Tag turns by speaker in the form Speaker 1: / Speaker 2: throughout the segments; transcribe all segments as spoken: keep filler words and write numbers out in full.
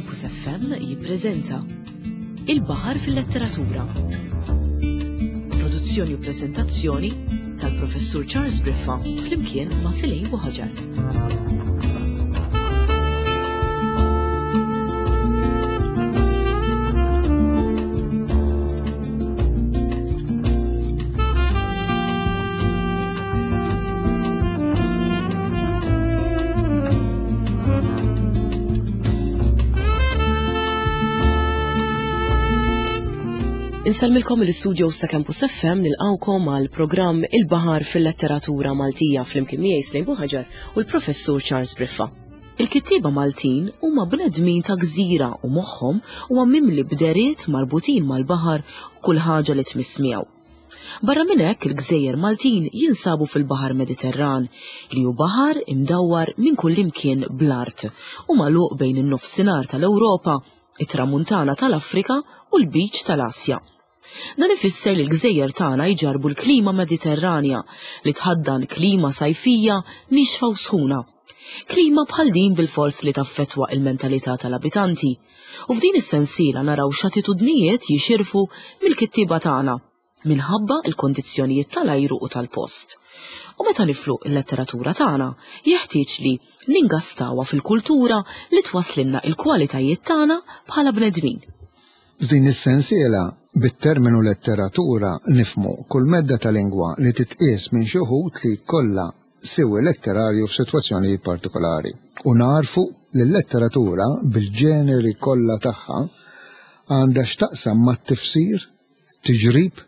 Speaker 1: Campus F M jippreżenta Il-Baħar fil-Letteratura. Produzzjoni u preżentazzjoni tal-Professur Charles Briffa flimkien ma' Silej Buħaġar. Insellmilkom l-istudio sa' Campus F M nilqawkom għal programm Il-Baħar fil-Letteratura Maltija flimkien miegħi Slejn Buħaġar u l-Professur Charles Briffa. Il-kittieba Maltin huma bnedmin ta' gżira u moħħhom huwa mimli bderiet marbutin mal-baħar u kull ħaġa li tmiss miegħu. Barra minn hekk il-gżejjer Maltin jinsabu fil-Baħar Mediterran li hu baħar imdawwar minn kull imkien bl-art u magħluq bejn in-nofsinhar tal-Ewropa, it-tramuntana tal-Afrika u l-Beach tal-Asja. Dan ifisser li l-gżejjer tagħna jġarbu l-klima Mediterranja li tħaddan klima sajfija nixfa u sħuna. Klima bħal din bil-fors li taffettwa il-mentalità tal-abitanti. U f'din is-sensiela naraw x'attitudnijiet jixirfu mill-kittieba tagħna minħabba l-kondizzjonijiet tal-ajru u tal-post. U meta niflu l-letteratura tagħna, jeħtieġ li ningastawha fil-kultura li twasslilna il-kwalitajiet tagħna bħala bnedmin.
Speaker 2: F'din is-sensiela, bit-terminu letteratura nifmu kull medda ta' lingwa li titqies minn xi wħud li jkollha siwi letterarju f'sitwazzjonijiet partikolari. U narfu li l-letteratura bil-ġeneri kollha tagħha għandha x'taqsam mat-tifsir, tiġrib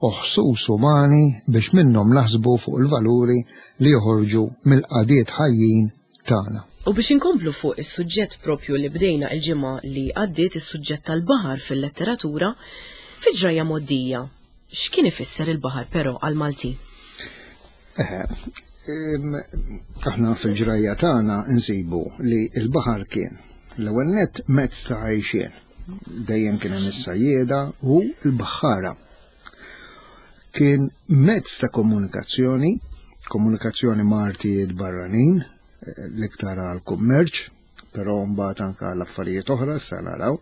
Speaker 2: u ħsus umani biex minnhom naħsbu fuq il-valuri li joħorġu mill-qadiet ħajjin tagħna.
Speaker 1: U biex inkomplu fuq is-suġġett propju li bdejna il-ġimgħa li għaddiet, is-suġġett tal-baħar fil-letteratura, fi ġrajja mgħoddija, x'kien ifisser il-baħar però għall-Malti?
Speaker 2: Eħe, em, aħna fil-ġrajja tagħna nsibu li l-baħar kien l-ewwel nett mezz ta' għajxien. Dejjem kien hemm is-sajjieda u l-baħħara. Kien mezz ta' komunikazzjoni, komunikazzjoni ma' artijiet barranin, l-iktar għal-kummerċ, però mbagħad anke għal affarijiet oħra sa naraw.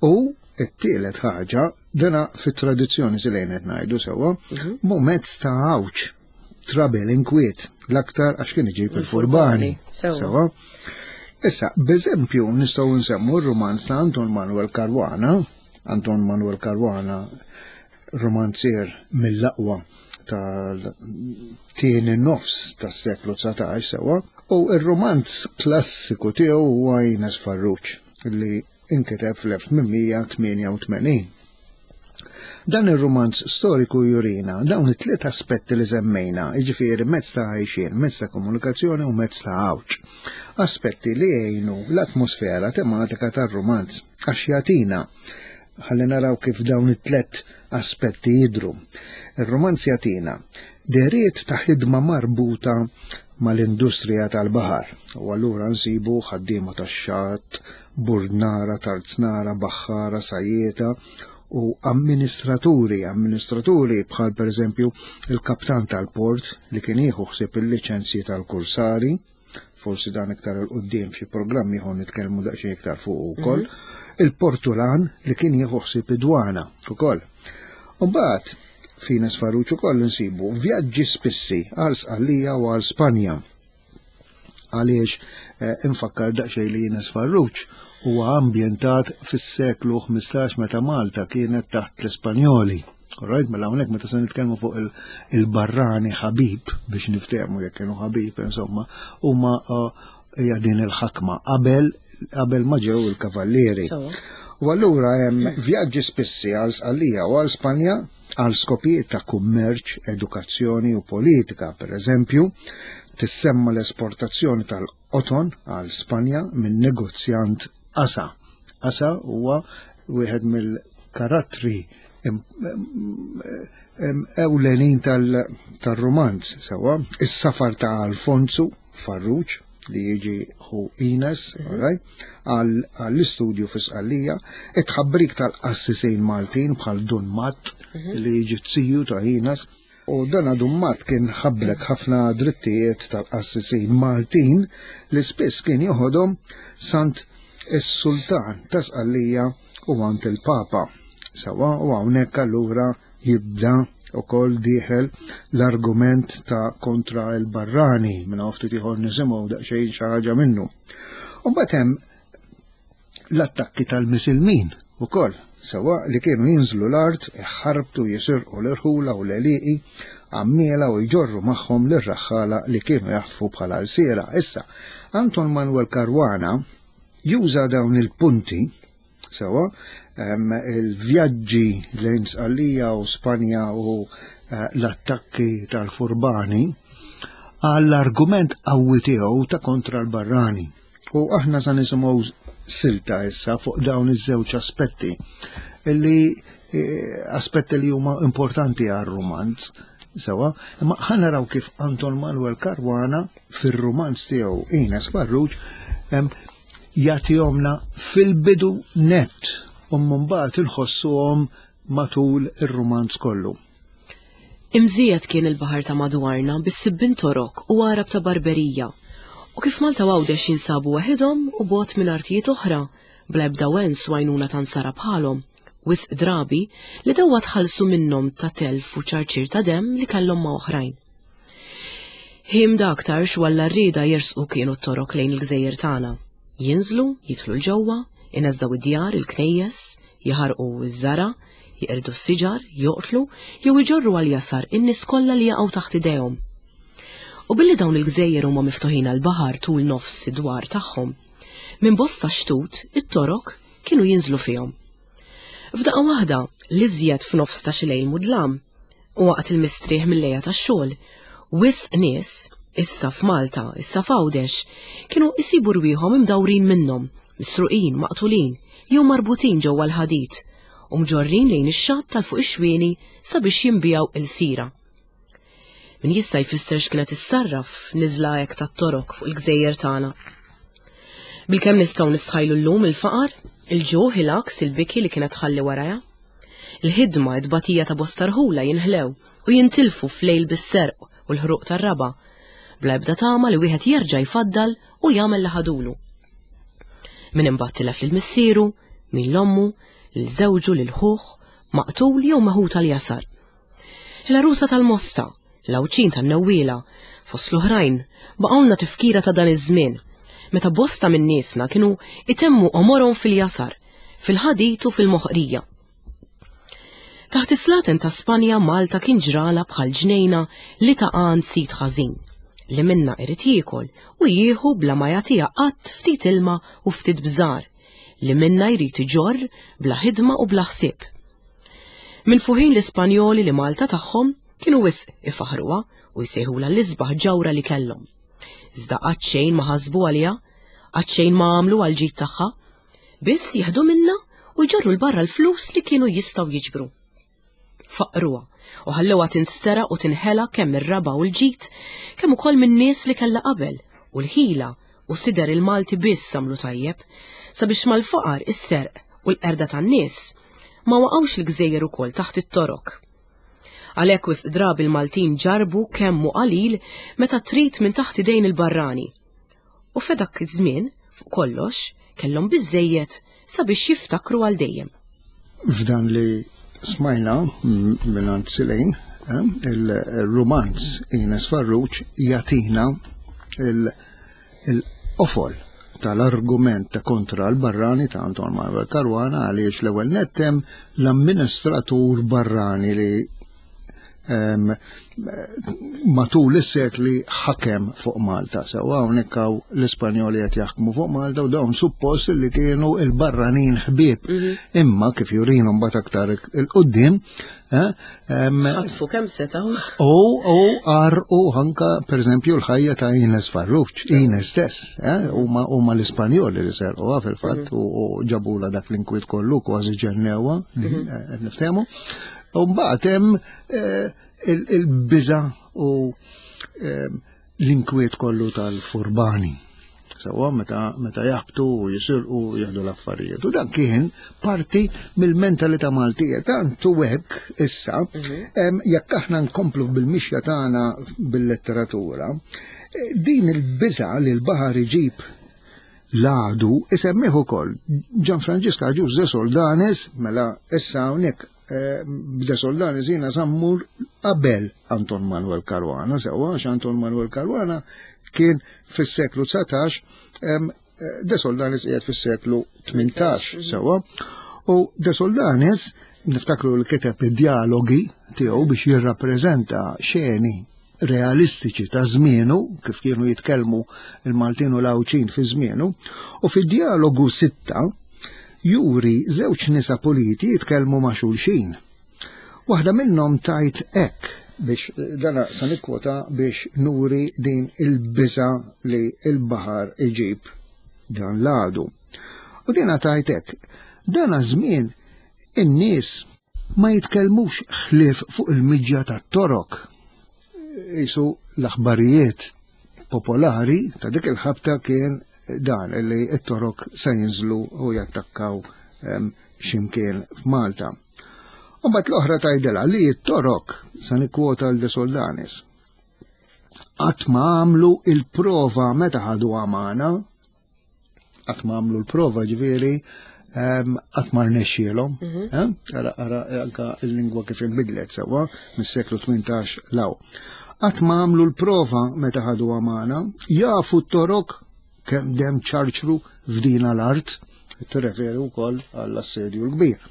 Speaker 2: U t-tielet ħaġa, dana fit-tradizzjoni se lejn qed ngħidu sewwa,
Speaker 1: Mhm.
Speaker 2: mu mezz ta' għawġ, trabel, inkwiet, l-aktar għax kien iġib il-furbani.
Speaker 1: Sewwa.
Speaker 2: Sewwa. Issa, b'eżempju nistgħu nsemmu r-rumanz ta' Anton Manuel Caruana. Anton Manuel Caruana, romanzier mill-aqwa tal-tieni nofs tas-seklu dsatax sewwa, u r-romanz klassiku tiegħu huwa Ines Farrugia li inkiteb fl-elf tmien tmienja u tmenin. Dan ir-romanz storiku jurina dawn it-tliet aspetti li semmejna, jiġifieri mezz ta' għajxien, mezz ta' komunikazzjoni u mezz ta' għawġ. Aspetti li jgħinu l-atmosfera tematika tar-romanz għax jagħtina ħalli naraw kif dawn it-tliet aspetti jidhru. Ir-romanz jagħtina dehriet ta' ħidma marbuta mal-industrija tal-baħar. U allura nsibu ħaddiema tax-xatt, burnara, tarznara, baħħara, sajjieta u amministraturi, amministraturi bħal pereżempju il-kaptan tal-port li kien jieħu ħsieb il-liċenzji tal-kursari, forsi dan iktar il quddiem f'xi programmi ieħor nitkellmu daqsxejn iktar fuq ukoll,
Speaker 1: Mhm.
Speaker 2: il-portulan li kien jieħu ħsieb id-dwana ukoll. U mbagħad f'Ines Farrugia ukoll insibu vjaġġi spissi għal Sqallija u għal Spanja. Għaliex, eh, infakkar daqsxejn li Ines Farrugia huwa ambjentat fis-seklu ħmistax meta Malta kienet taħt l-Ispanjoli. Alright, mela hawnhekk meta se nitkellmu fuq il-, il-barrani ħabib biex niftehmu jekk kienu ħabib, insomma, huma, eh, hija din il-ħakma qabel, qabel ma ġew il-kavallieri.
Speaker 1: Sewwa.
Speaker 2: U allura hemm vjaġġi spissi għal Sqallija u għal Spanja għal skopijiet ta' kummerċ, edukazzjoni u politika. Per eżempju, tissemma l-esportazzjoni tal-qoton għal Spanja minn negozjant Asa. Asa huwa wieħed mill-karattri im-, im-, im-, ewlenin tal-, tal-romanz, sewwa. Is-safar ta' Alfonso Farrugia li jiġi hu Ines,
Speaker 1: Mhm.
Speaker 2: alright, għal, għall-istudju fi Sqallija, it-tħabbrik tal-qassisin Maltin bħal Dun Matt
Speaker 1: Mhm.
Speaker 2: li jiġi t-siju ta' Ines, u dan Dun Matt kien ħabbrek ħafna drittijiet tal-qassisin Maltin li spiss kien joħodhom sant is-sultan ta' Sqallija u għand il-Papa. Sawa u hawnhekk allura jibda ukoll dieħel l-argument ta' kontra l-barrani, minn hawn ftit ieħor nisimgħu daqsxejn xi ħaġa minnu. U mbagħad hemm l-attakki tal-Misilmin ukoll, sewa li kienu jinżlu l-art, iħarbtu, jisirqu l-irħula u l-għelieqi, għammiela u jġorru magħhom lir-raħħala li kienu jaħtfu bħala rsiera. Issa, Anton Manuel Caruana juża dawn il-punti, sewa, il-vjaġġi lejn Sqallija u Spanja u eh, l-attakki tal-furbani għall-argument qawwi tiegħu ta' kontra l-barrani. U aħna sa nisimgħu silta issa fuq dawn iż-żewġ aspetti illi eh, aspetti li huma importanti għar-rumanz. Sewa, imma ħa naraw kif Anton Manuel Caruana fir-rumanz tiegħu Ines Farrugia jagħtihomna fil-bidu net u mbagħad inħossuhom matul ir-rumanz kollu.
Speaker 1: Imżiet kien il-baħar ta' madwarna bis-sibbin Torok u Għarab ta' Barberija, u kif Malta u Għawdex jinsabu waħedhom u bogħod minn artijiet oħra, bla ebda wens u għajnuna ta' nsara bħalhom, wisq drabi li dewwa tħallsu minnhom ta' telf u ċarċir ta' demm li kellhom ma' oħrajn. Ħimda aktarx walla rrieda jersqu kienu t-Torok lejn il-gżejjer tagħna. Jinżlu, jidħlu 'l ġewwa, ineżżgħu id-djar, il-knejjes, jaħarqu iż-żara, jeqirdu s-siġar, joqtlu jew iġorru għal jasar in-nies kollha li jaqgħu taħt idejhom. U billi dawn il-gżejjer huma miftuħin għall-baħar tul nofs id-dwar tagħhom, minn bosta xtut it-Torok kienu jinżlu fihom. F'daqqa waħda, l-iżjed f'nofs ta' xi lejl mudlam, u waqt il-mistrieħ mill-lejja tax-xogħol, wisq nies, issa f'Malta, issa f'Għawdex, kienu isibu rwieħhom imdawrin minnhom, misruqin, maqtulin, jew marbutin ġewwa l-ħadid, u mġorrin lejn ix-xatt tal fuq ix-xwieni sabiex jinbiegħu ilsira. Min jista' jfisser x'kienet issarraf niżla hekk tat-Torok fuq il-gżejjer tagħna? Bilkemm nistgħu nistħajlu llum il-faqar, il-ġuħ, il-għaks, il-biki li kienet tħalli warajha. Il-ħidma, it-tbatija ta' bosta rħula jinħlew u jintilfu f'lejl bis-serq u l-ħruq tar-raba', bla ebda tama li wieħed jerġa' jfaddal u jagħmel li ħadulu. Min imbagħad tilef lil missieru, min l-ommu, lil żewġu, lil ħuh, maqtul jew meħud għal jasar. Il-għarusa tal-Mosta, l-Għawdxin tan-Newwiela, fost l-oħrajn, baqgħulna tifkira ta' dan iż-żmien, meta bosta minn niesna kienu itemmu għomorhom fil-jasar, fil-ħadid u fil-moħqrija. Taħt is-slaten ta' Spanja Malta kien ġrala bħal ġnejna li ta' għand sid ħażin, li minna irid jiekol u jieħu bla ma jagħtiha qatt ftit ilma u ftit bżar, li minna jrid iġorr bla ħidma u bla ħsieb. Minn fuħin l-Ispanjoli li Malta tagħhom kienu wisq ifaħruha u jsejħulha l-isbaħ ġawra li kellhom. Iżda qatt xejn ma ħasbu għaliha, qatt xejn ma għamlu għal ġid tagħha, biss jieħdu minna u jġorru 'l barra l-flus li kienu jistgħu jiġbru. Faqruha u ħallewha tinsteraq u tinħela kemm ir-raba' u l-ġid, kemm ukoll min-nies li kellha qabel u l-ħila u sider il-Malti biss għamlu tajjeb, sabiex mal-faqar, is-serq u l-qerda tan-nies ma waqgħux il-gżejjer ukoll taħt it-Torok. Għalhekk wisq drabi l-Maltin ġarbu kemm hu qalil meta trid minn taħt idejn il-barrani. U f'dak iż-żmien, fuq kollox, kellhom biżżejjed sabiex jiftakru għal dejjem.
Speaker 2: F'dan li smajna mingħand Silejn, eh, il-rumanz Ines Farrugia jagħtina il-qofol tal-argument ta' kontra l-barrani ta' Anton Manuel Caruana, għaliex l-ewwel nett hemm l-amministratur barrani li em, matul is-sekli ħakem fuq Malta. Sewa hawnhekk hawn l-Ispanjoli qed jaħkmu fuq Malta u dawn suppost li kienu il-barranin ħbieb. Imma kif jurinu mbagħad aktar il-qudiem, eh, em,
Speaker 1: Ħatfu kemm setgħu.
Speaker 2: U u għarqu anka pereżempju l-ħajja ta' Ines Farrugia, Ines stess, eh, huma huma l-Ispanjoli li serquha fil-fatt u u ġabula dak l-inkwiet kollu kważi ġennewha, din, eh, qed niftehmu. U mbagħad hemm eh, il- il-biża u eh, l-inkwiet kollu tal-furbani. Sewa meta meta jaħbtu u jisirqu u jieħdu l-affarijiet. U dan kien parti mill-mentalità Maltija. Tant u hekk issa, em, jekk aħna nkomplu bil-mixja tagħna bil-letteratura, eh, din il-biża li l-baħar iġib L-għadu isemmih ukoll Ġan Franġisk Agius de Soldanis, mela issa hawnhekk eh, de Soldanis jiena sa mmur qabel Anton Manuel Caruana, sewwa, għax Anton Manuel Caruana kien fis-seklu dsatax, De Soldanis qiegħed fis-seklu tmintax, sewwa. U De Soldanis niftakru li kiteb id-dialogi tiegħu biex jirrappreżenta xeni realistiċi ta' żmienu, kif kienu jitkellmu il-Maltin u l-Għawdxin fi żmienu, u fid-dialogu sitta juri żewġ nisa puliti jitkellmu ma' xulxin. Waħda minnhom tajt hekk, biex dana sa nikkwota biex nuri din il-biża li il-baħar iġib dan l-għadu. U dina tajt hekk, dana żmien in-nies ma jitkellmux ħlief fuq il-miġja tat-torok. Isu l-aħbarijiet popolari ta' dik il-ħabta kien dan li t-torok se jinżlu u jattakkaw x'imkien f'Malta. U mbagħad l-oħra tgħidilha li t-torok, sa nikkwota l De Soldanis, qatt ma għamlu il-prova meta ħadu għamana, qatt ma għamlu l-prova ġifieri qatt ma rnexxielhom, ara ara anka l-lingwa kif inbidlet sewwa mis-seklu tmintax law. Qatt ma għamlu l-prova meta ħadu għamana, jafu t-torok kemm dem ċarċru f'dina l-art, tirreferi wkoll għall-assedju l-kbir.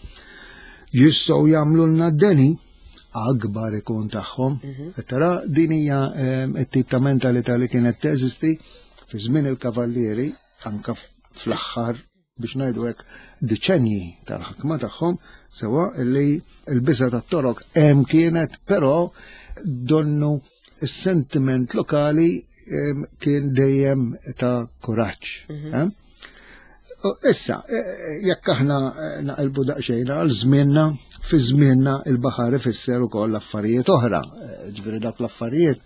Speaker 2: Jistgħu jagħmlu lna d-deni akbar ikun tagħhom. Tara din hija t-tip ta' mentalità li kienet teżisti fi żmien il-kavallieri anka fl-aħħar biex ngħidu hekk deċenji tal-ħakma tagħhom, sewa li l-biża tat-torok hemm kienet, però donnu s-sentiment lokali kien dejjem ta' kuraġġ. Issa, jekk aħna naqilbu daqsxejn għal żmienna, fi żmienna il-baħar ifisser ukoll affarijiet oħra. Ġifieri dak l-affarijiet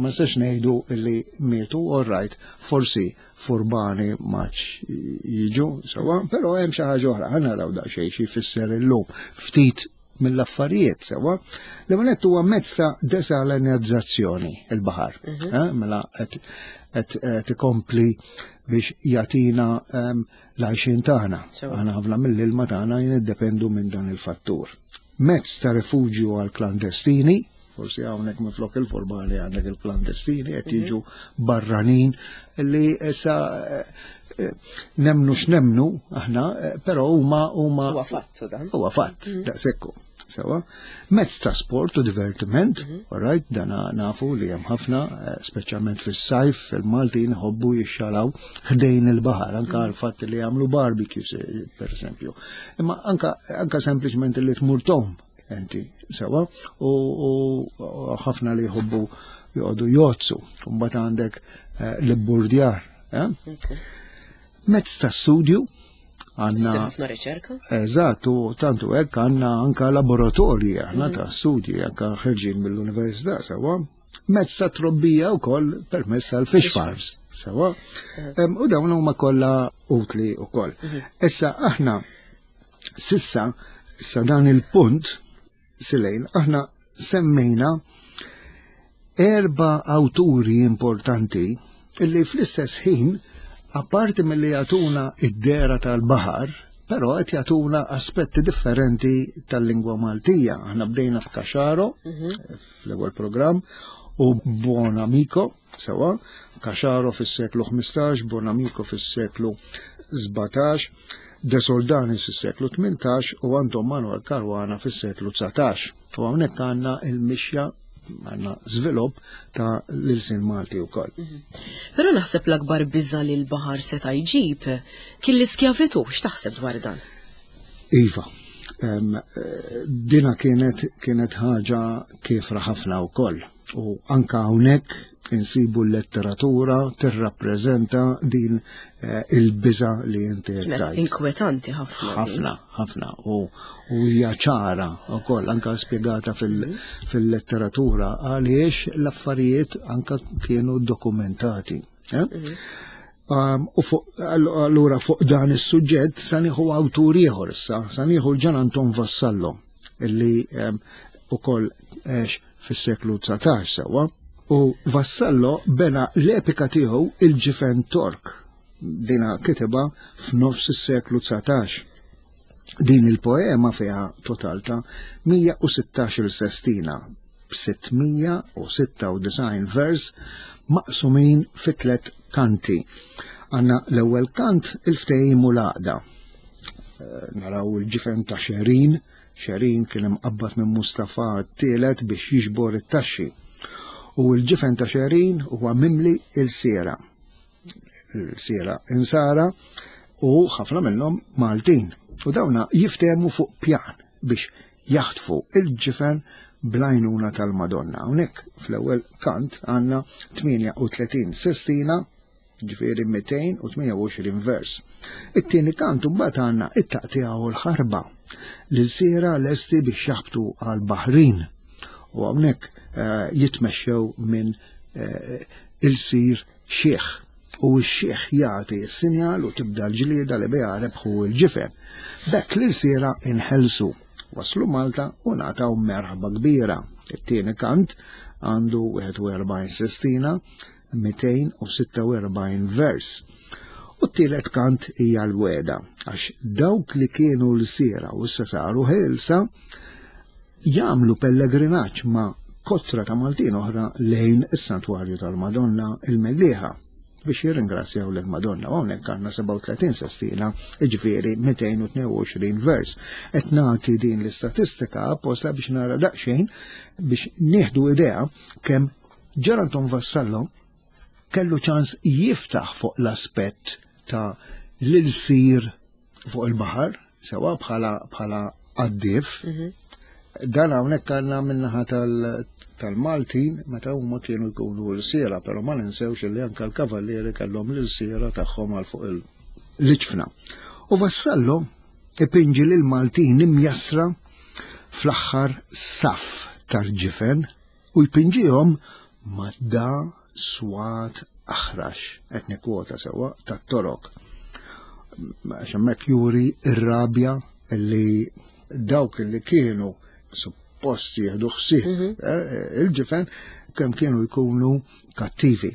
Speaker 2: ma nistax ngħidu li mietu, all right, forsi furbani maċ jiġu, sewa, però hemm xi ħaġa oħra, ħa naraw daqsxejn xi jfisser illum ftit mill-affarijiet, sewa. L-ewwel huwa mezz ta' desalinizzazzjoni il-baħar. Mela qed ikompli biex jagħtina l-għajxien tagħna. Aħna ħafna mill-ilma tagħna jiddependu minn dan il-fattur. Mezz ta' rifuġju għal klandestini, forsi hawnhekk minflok il-furbani għandek il-klandestini qed jiġu barranin li issa nemnu x'nemnu aħna, però huma huma
Speaker 1: huwa fatt dan.
Speaker 2: Huwa fatt, daqshekk. Sewa, mezz ta' sport u divertiment, all right, dana nafu li hemm ħafna, speċjalment fis-sajf, il-Maltin ħobbu jixxalaw ħdejn il-baħar, anka l-fatt li jagħmlu barbecues, per esempio. Imma anka anka sempliċement li tmur tom, enti, sewa, u ħafna li jħobbu joqogħdu jozzu, u mbagħad għandek l-burdjar. Mezz ta' studju, għanna
Speaker 1: ħafna riċerka.
Speaker 2: Eżatt, u tantu hekk għandna anka laboratorji aħna ta' studji anka ħerġin mill-università, sewa. Mezz ta' trobbija wkoll permezz tal-fish farms, sewa. U dawn huma kollha utli wkoll. Issa aħna sissa sa dan il-punt silejn aħna semmejna erba' awturi importanti illi fl-istess ħin apparti mill-li jagħtuna id-dera tal-baħar, però qed jagħtuna aspetti differenti tal-lingwa Maltija. Aħna bdejna b'Caxaro fl-ewwel programm u Buonamico, sewa, Caxaro fis-seklu ħmistax, Buonamico fis-seklu sbatax, De Soldanis fis-seklu tmintax u Anton Manuel Caruana fis-seklu dsatax. U hawnhekk għandna il-mixja għanna żvilupp ta' l-ilsien Malti wkoll.
Speaker 1: Però naħseb l-akbar biża li l-baħar seta' jġib kien l-iskjavitu, x'taħseb dwar dan?
Speaker 2: Iva, dina kienet kienet ħaġa kiefra ħafna wkoll. U anka hawnhekk insibu l-letteratura tirrappreżenta din il-biża li inti
Speaker 1: Kienet inkwetanti ħafna.
Speaker 2: Ħafna, ħafna. U hija ċara wkoll anka spjegata fil-letteratura għaliex l-affarijiet anka kienu dokumentati. U allura fuq dan is-suġġett sa nieħu awtur ieħor issa, sa nieħu l-Ġan Anton Vassallo illi ukoll għex fis-seklu dsatax sewwa. U Vassallo bena l-epika tiegħu il-Ġifen Tork. Dina kitibha f'nofs is-seklu dsatax. Din il-poema fiha total ta' mija u sittax-il sestina b'sittmija u sitta u disgħin vers maqsumin fi tliet kanti. Għanna l-ewwel kant il-ftehim u l-għaqda. Eh, naraw il-ġifen ta' Xerin. Xerin kien imqabbad minn Mustafa t-tielet biex jiġbor it-taxxi. U l-ġifen ta' Xerin huwa mimli il-siera. Il-siera insara u ħafna minnhom Maltin. U dawna jiftehmu fuq pjan biex jaħtfu il-ġifen blajnuna tal-Madonna. Hawnhekk fl-ewwel kant għandna tmienja u tletin sestina, ġifieri mitejn u tmienja u għoxrin vers. It-tieni kant imbagħad għandna it-taqtiegħa u l-ħarba l-siera lesti biex jaħbtu għal-Baħrin. U hawnhekk, eh, jitmexxew minn, eh, il-sir xiħ. U x-xiħ jagħti s-sinjal u tibda l-ġlieda li biha rebħu l-ġifen. B'hekk l-irsiera inħelsu, waslu Malta u ngħataw merħba kbira. It-tieni kant għandu wieħed u erbgħin sestina, mitejn u sitta u erbgħin vers. U t-tielet kant hija l-weda, għax dawk li kienu l-siera u issa saru ħelsa jagħmlu pellegrinaġġ ma' kotra ta' Maltin oħra lejn is-Santwarju tal-Madonna il-Mellieħa biex jirringrazzjaw lill-Madonna. U hawnhekk għandna sebgħa u tletin sestina, jiġifieri mitejn u tnejn u għoxrin vers. Qed nagħti din l-istatistika apposta biex nara daqsxejn biex nieħdu idea kemm Ġan Anton Vassallo kellu ċans jiftaħ fuq l-aspett ta' l-ilsir fuq il-baħar, sewa bħala, bħala qaddif.
Speaker 1: Mhm.
Speaker 2: Dan hawnhekk għandna min-naħa tal-, tal-Maltin meta huma kienu jkunu l-siera, però ma ninsewx li anke l-kavallieri kellhom l-siera tagħhom għal fuq l-iġfna. U Vassallo ipinġi lil Maltin imjassra fl-aħħar saf tal-ġifen u jpinġihom ma' da swat aħrax, qed nikkwota sewwa, tat-Torok. Għax hemmhekk juri r-rabja li dawk li kienu suppost jieħdu ħsieb,
Speaker 1: Mhm.
Speaker 2: eh, il-ġifen kemm kienu jkunu kattivi.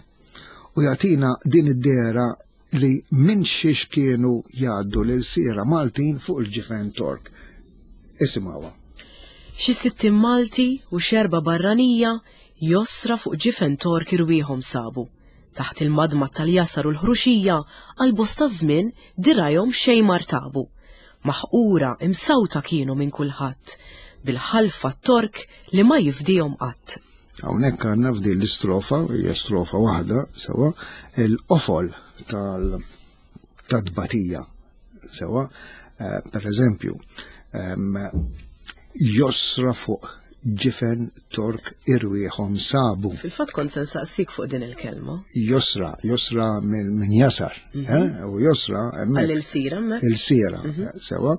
Speaker 2: U jagħtina din id-dera li minn xiex kienu jgħaddu lil siera Maltin fuq il-ġifen Tork. Isimgħuha.
Speaker 1: Xi sittin Malti u xerba barranija josra fuq ġifen Tork irwieħhom sabu. Taħt il-madma tal-jasar u l-ħruxija għal bosta żmien dirajhom xejn martabu. Maħqura imsawta kienu minn kulħadd, bil-ħalfa Tork li ma jifdihom qatt.
Speaker 2: Hawnhekk għandna f'din l-istrofa, hija strofa waħda sewwa, il-qofol tal-, tat-tbatija sewwa, eh, per eżempju, em, josra fuq ġifen Tork irwieħhom sabu.
Speaker 1: Fil-fatt kont se nsaqsik fuq din il-kelma.
Speaker 2: Josra, josra minn, minn jasar,
Speaker 1: Mhm.
Speaker 2: eh? U josra hemmhekk.
Speaker 1: Għal il-sira hemmhekk.
Speaker 2: Il-sira,
Speaker 1: Mhm.
Speaker 2: sewa.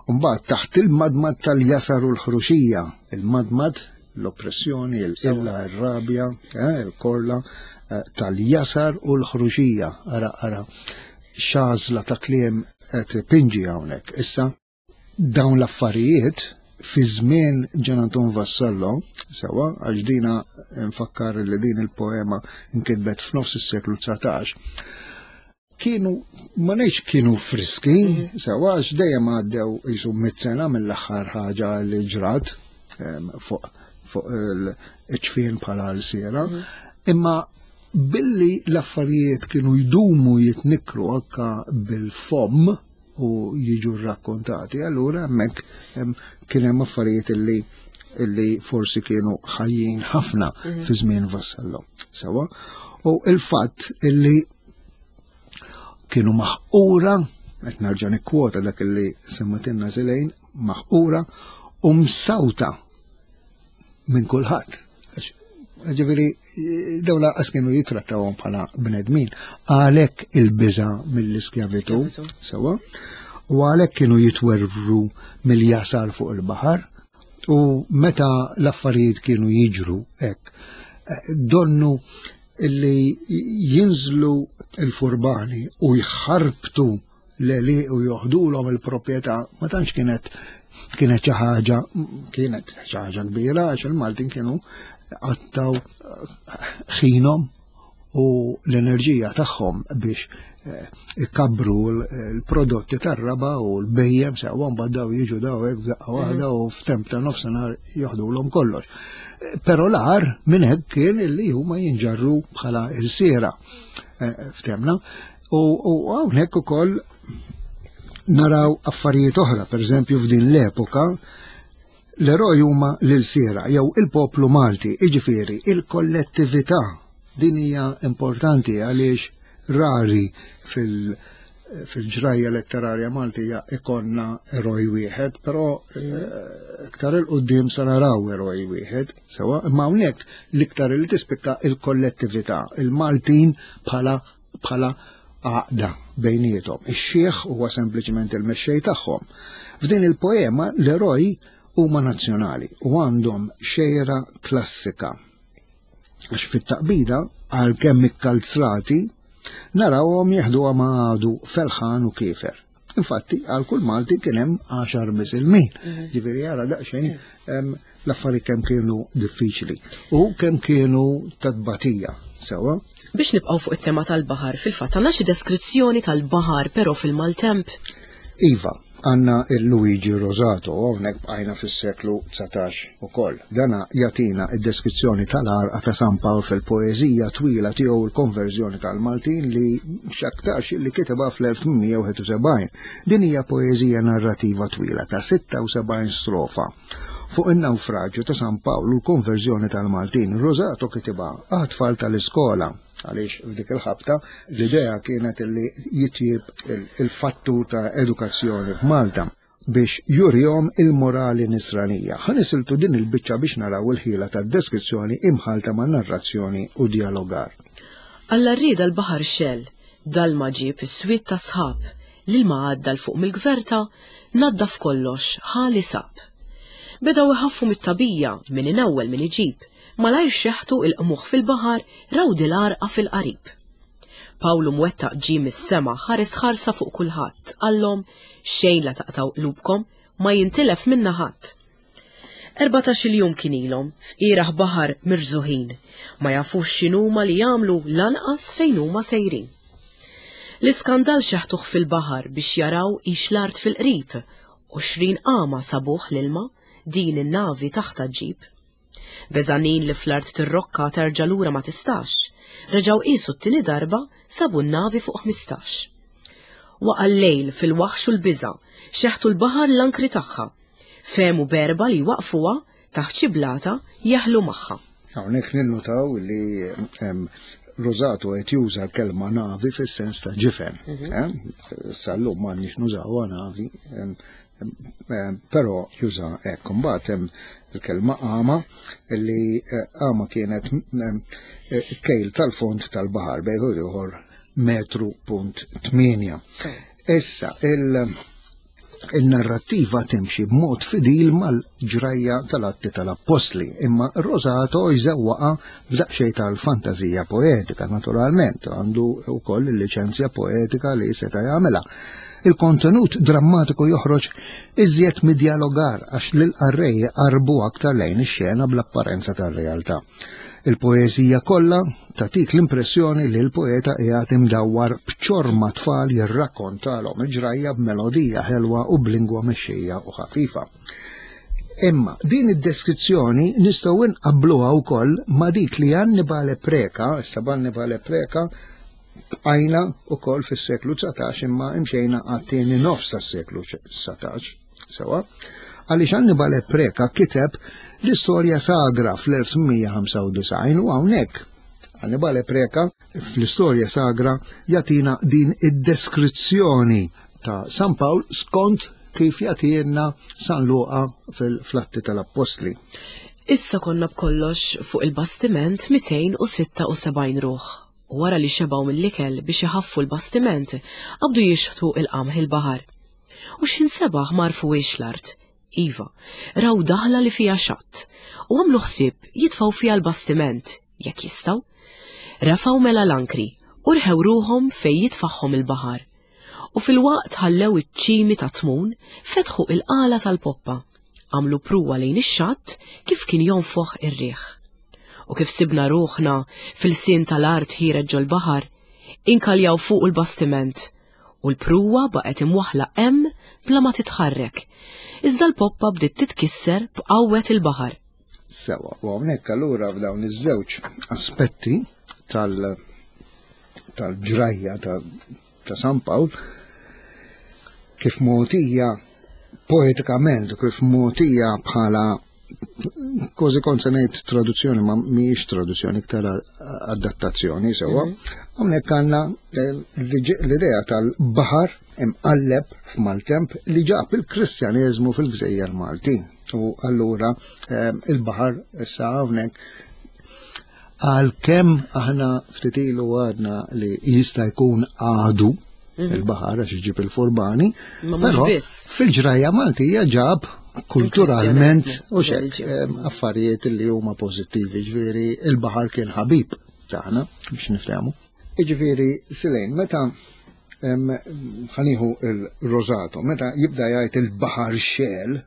Speaker 2: U mbagħad taħt il-madmad tal-jasar u l-ħruxija, il-madmad, l-oppressjoni, il-qilla, il-rabja, eh, il-korla, eh, tal-jasar u l-ħruxija. Ara, ara, xażla ta' kliem qed pinġi hawnhekk. Issa dawn l-affarijiet fi żmien Ġan Anton Vassallo, sewa, għax dina nfakkar li din il-poema nkitbet f'nofs is-seklu dsatax, kienu, ma ngħidx kienu friski,
Speaker 1: Mhm.
Speaker 2: sewa, għax dejjem għaddew jisu mitt sena mill-aħħar ħaġa li ġrat, em, fuq, fuq il-ċfien bħala l-siera,
Speaker 1: Mhm.
Speaker 2: imma billi l-affarijiet kienu jdumu jitnikru anka bil-fomm u jiġu rrakkontati, allura hemmhekk, em, kien hemm affarijiet illi, illi forsi kienu ħajjin ħafna
Speaker 1: Mhm.
Speaker 2: fi żmien Vassallo. Sewa, u il-fatt illi kienu maħqura, qed nerġa' nikkwota dak illi semmatilna Silejn, maħqura u msawta minn kulħadd. Ġifieri, dawn lanqas kienu jitrattawhom bħala bnedmin, għalhekk il-biża' mill-iskjavitu,
Speaker 1: Skjavitu.
Speaker 2: sewa, u għalhekk kienu jitwerwru mill-jasar fuq il-baħar, u meta l-affarijiet kienu jiġru hekk, donnu illi jinżlu il-furbani u jħarbtu l-għelieqi u joħdulhom il-proprjetà, ma tantx kienet, kienet xi ħaġa, kienet xi ħaġa kbira, għax il-Maltin kienu għattaw ħinhom u u l-enerġija tagħhom biex eh, ikabbru l-prodotti tar-raba u l-bhejjem sewwa mbagħad daw jiġu daw hekk f'daqqa waħda u f'temp ta' nofsinhar joħdulhom kollox. Però l-agħar minn hekk kien illi huma jinġarru bħala ilsiera eh, ftemna u hawnhekk ukoll naraw affarijiet oħra, per eżempju f'din l-epoka l-eroj huma l-ilsiera jew il-poplu Malti, jiġifieri il-kollettività. Din hija importanti għaliex rari fil- fil-ġrajja letterarja Maltija ikonna eroj wieħed, però eh, iktar 'il quddiem sa naraw eroj wieħed, sewa, imma hawnhekk l-iktar li tispikka il-kollettività, il-Maltin bħala bħala għaqda bejniethom. Ix-xieħ huwa sempliċement il-mexxej tagħhom. F'din il-poema l-eroj huma nazzjonali u għandhom xejra klassika. Għax fit-taqbida għal kemm ikkalzrati narawhom jeħduha ma' għadu felħan u kiefer. Infatti, għal kull Malti kien hemm għaxar misilmin. Mhm. Ġifieri jara daqsxejn l-affarijiet kemm kienu diffiċli u kemm kienu ta' tbatija sewa.
Speaker 1: Biex nibqgħu fuq it-tema tal-baħar, fil-fatt għandna xi deskrizzjoni tal-baħar però fil-maltemp.
Speaker 2: Iva, għandna il-Luigi Rosato, hawnhekk bqajna fis-seklu dsatax ukoll. Dana jagħtina id-deskrizzjoni tal-għarqa ta' San Pawl fil-poeżija twila tiegħu l-konverżjoni tal-Maltin li x'aktarx li kitibha fl-elf tmien mija wieħed u sebgħin. Din hija poeżija narrativa twila ta' sitta u sebgħin strofa fuq in-nawfraġġju ta' San Pawl u l-konverżjoni tal-Maltin. Rosato kitibha għat-tfal tal-iskola għaliex f'dik il-ħabta l-idea kienet li jitjib il-fattur ta' edukazzjoni f'Malta biex jurihom il-morali nisranija. Ħa nisiltu din il-biċċa biex naraw il-ħila ta' deskrizzjoni imħalta ma' narrazzjoni u dialogar.
Speaker 1: Alla rrieda l-baħar xell, dalma ġieb is-swied ta' sħab, l-ilma għadda 'l fuq mill-gverta, naddaf kollox, ħali sab. Bedaw iħaffu mit-tabija min inewwel min iġib, malajr xeħtu il-qmuħ fil-baħar raw dil-għarqa fil-qarib. Pawlu mwettaq ġie mis-sema ħares ħarsa fuq kulħadd, qallhom xejn la taqtaw qlubkom, ma jintilef minna ħadd. Erbatax-il jum kien ilhom f'qiegħ baħar mirżuħin, ma jafux x'inhuma li jagħmlu lanqas fejn huma sejrin. L-iskandal xeħtuh fil-baħar biex jaraw ix l-art fil-qrib, għoxrin qama sabuh l-ilma, din in-navi taħta ġib. Beżanin li fl-art tirrokka terġa' lura ma tistax, reġgħu qisu t-tieni darba sabu n-navi fuq ħmistax. Waqa' l-lejl fil-waħx u l-biża', xeħtu l-baħar l-ankri tagħha. Fehmu berba li waqfuha taħt xi blata jeħlu magħha.
Speaker 2: Hawnhekk ninnutaw li Rosato qed juża l-kelma navi fis-sens ta' ġifen. Mhm. Eh? Sal-lum m'għandniex nużawha navi, però juża hekk. Imbagħad hemm il-kelma qama li eh, qama kienet eh, kejl tal-fond tal-baħar bejn ieħor metru punt tmienja. Issa, il- il-narrattiva timxi b'mod fidil mal-ġrajja tal-atti tal-appostli, imma Rosato jżewwaqa b'daqsxejn tal-fantazija poetika, naturalment, għandu wkoll il-liċenzja poetika li seta' jagħmilha. Il-kontenut drammatiku joħroġ iżjed mid-dialogar għax lil-qarrej qarbu aktar lejn ix-xena bl-apparenza tar-realtà. Il-poeżija kollha tatik l-impressjoni li l-poeta qiegħed imdawwar b'ċorma tfal jirrakkontalhom il-ġrajja b'melodija ħelwa u b'lingwa mexxejja u ħafifa. Imma din id-deskrizzjoni nistgħu nqabbluha wkoll ma' dik li Annibale Preka, issa Annibale Preka bqajna wkoll fis-seklu dsatax imma imxejna għat-tieni nofs tas-seklu dsatax, sewa. Għaliex Annibale Preka kiteb l-istorja sagra fl-elf tmien mija ħamsa u disgħin u hawnhekk Annibale Preka fl-istorja sagra jagħtina din id-deskrizzjoni ta' San Pawl skont kif jagħtina San Luqa fil-Atti tal-Appostli.
Speaker 1: Issa konna b'kollox fuq il-bastiment mitejn u sitta u sebgħin ruħ. U wara li xebgħu mill-ikel biex iħaffu l-bastiment, qabdu jixħtu il-qamħ il-baħar. U x'ħin sebaħ ma għarfuhiex l-art. Iva, raw daħla li fija xatt u għamlu ħsieb jitfgħu fija l-bastiment, jekk jistgħu. Refgħu mela l-ankri u rħew ruħhom fej jitfaħħom il-baħar. U fil-waqt ħallew iċ-ċimi ta' tmun, fetħu il-qala tal-poppa, għamlu pruwa lejn ix-xatt kif kien jonfoħ ir-riħ. U kif sibna ruħna fil-sin tal-art ħiereġ ġol-baħar, inkaljaw fuq il-bastiment u l-pruwa baqgħet imwaħla hemm bla ma titħarrek. Iżda l-poppa bdiet titkisser b'qawwet il-baħar.
Speaker 2: Sewa, u hawnhekk allura f'dawn iż-żewġ aspetti tal tal-ġrajja ta', ta' San Pawl, kif mogħtija poetikament u kif mogħtija bħala kważi kont se ngħid traduzzjoni, ma mhijiex traduzzjoni, iktar adattazzjoni, sewwa. Hawnhekk għandna eh, l-idea tal-baħar imqalleb f'maltemp li ġab il-Kristjaneżmu fil-Gżejjer Maltin. U allura eh, il-baħar issa hawnhekk, għalkemm aħna ftit ilu għadna li jista' jkun għadu il-baħar għax iġib il-furbani,
Speaker 1: Ma mhux
Speaker 2: però
Speaker 1: biss.
Speaker 2: fil-ġrajja Maltija ġab kulturalment
Speaker 1: Il-Kristjaneżmu,
Speaker 2: u xek
Speaker 1: reliġjon.
Speaker 2: em, affarijiet li huma pożittivi, ġifieri il-baħar kien ħabib tagħna biex niftehmu. Ġifieri Silejn, meta em, ħa nieħu il-Rosato, meta jibda jgħid il-baħar xegħel,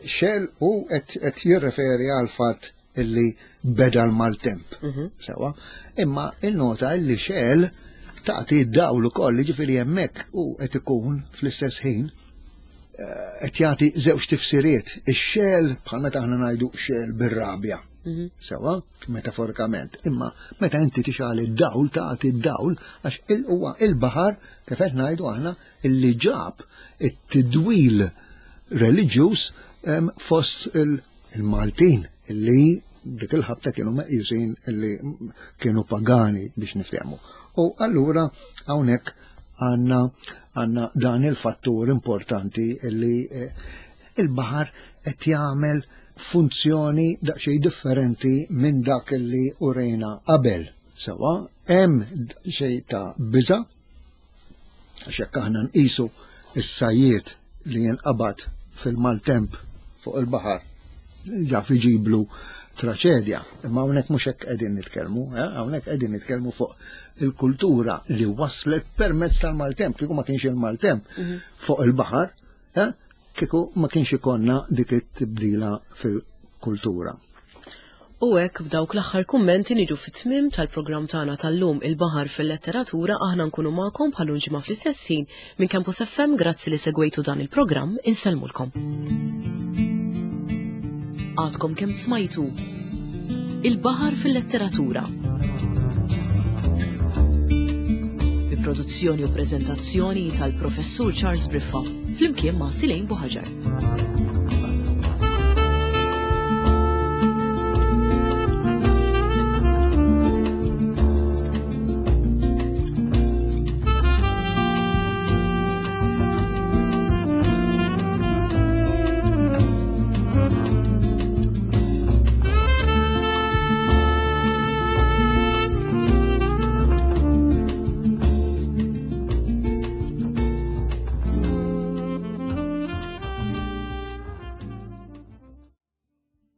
Speaker 2: xegħel u qed jirreferi għal fatt illi beda l-maltemp. Sewa, imma il-nota illi xegħel tagħti d-dawl ukoll, ġifieri hemmhekk u qed ikun fl-istess ħin eh, qed jagħti żewġ tifsiriet. Ix-xegħel bħal meta aħna ngħidu xegħel bir-rabja. Sewa, metaforikament. Imma meta inti tixgħel id-dawl, tagħti d-dawl, għax il huwa il-baħar, kif qed ngħidu aħna, illi ġab it-tidwil reliġjuż em, fost il- il-Maltin illi dik il-ħabta kienu meqjusin illi kienu pagani, biex niftehmu. U allura hawnhekk għandna għandna dan il-fattur importanti illi eh, il-baħar qed jagħmel funzjoni daqsxejn differenti minn dak illi urejna qabel. Sewa, hemm xejn ta' biża', għax jekk aħna nqisu is-sajjiet li jinqabad fil-maltemp fuq il-baħar jaf iġiblu traċedja. Imma hawnhekk mhux hekk qegħdin nitkellmu, eh? Hawnhekk qegħdin nitkellmu fuq il-kultura li waslet permezz tal-maltemp. Kieku ma kienx il-maltemp fuq il-baħar, eh? Kieku ma kienx ikollna dik it-tibdila fil-kultura.
Speaker 1: U hekk b'dawk l-aħħar kummenti niġu fit-tmim tal-programm tagħna tal-lum, Il-Baħar fil-Letteratura. Aħna nkunu magħkom bħal ġimgħa fl-istess ħin minn Campus F M. Grazzi li segwejtu dan il-programm, insellmulkom. Għadkom kemm smajtu Il-Baħar fil-Letteratura. Bi produzzjoni u preżentazzjoni tal-Professur Charles Briffa flimkien ma' Silejn Buħaġar.